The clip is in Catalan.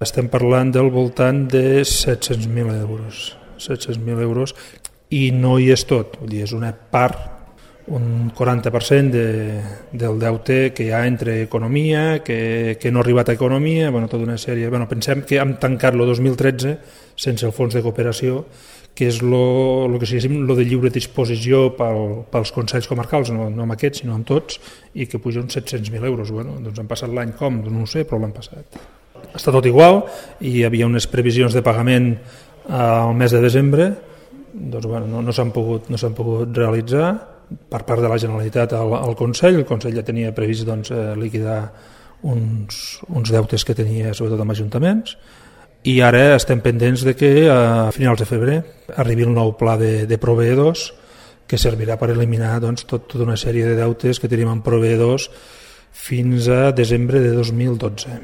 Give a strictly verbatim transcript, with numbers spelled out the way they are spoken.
Estem parlant del voltant de set-cents mil euros, set-cents mil euros, i no hi és tot, vull dir, és una part, un quaranta per cent de, del deute que hi ha entre economia, que, que no ha arribat a economia, bueno, tota una sèrie. Bueno, pensem que hem tancat el dos mil tretze sense el fons de cooperació, que és lo, lo que diguéssim, lo de lliure disposició pel, pels consells comarcals, no, no amb aquests, sinó amb tots, i que puja uns set-cents mil euros. Bueno, doncs han passat l'any com? No ho sé, però l'han passat. Està tot igual, i hi havia unes previsions de pagament al mes de desembre, doncs bueno, no, no s'han pogut, no s'han pogut realitzar per part de la Generalitat al, al Consell. El Consell ja tenia previst doncs, eh, liquidar uns, uns deutes que tenia sobretot amb ajuntaments, i ara estem pendents de que a finals de febrer arribi el nou pla de, de proveïdors que servirà per eliminar doncs, tot, tota una sèrie de deutes que tenim amb proveïdors fins a desembre de dos mil dotze.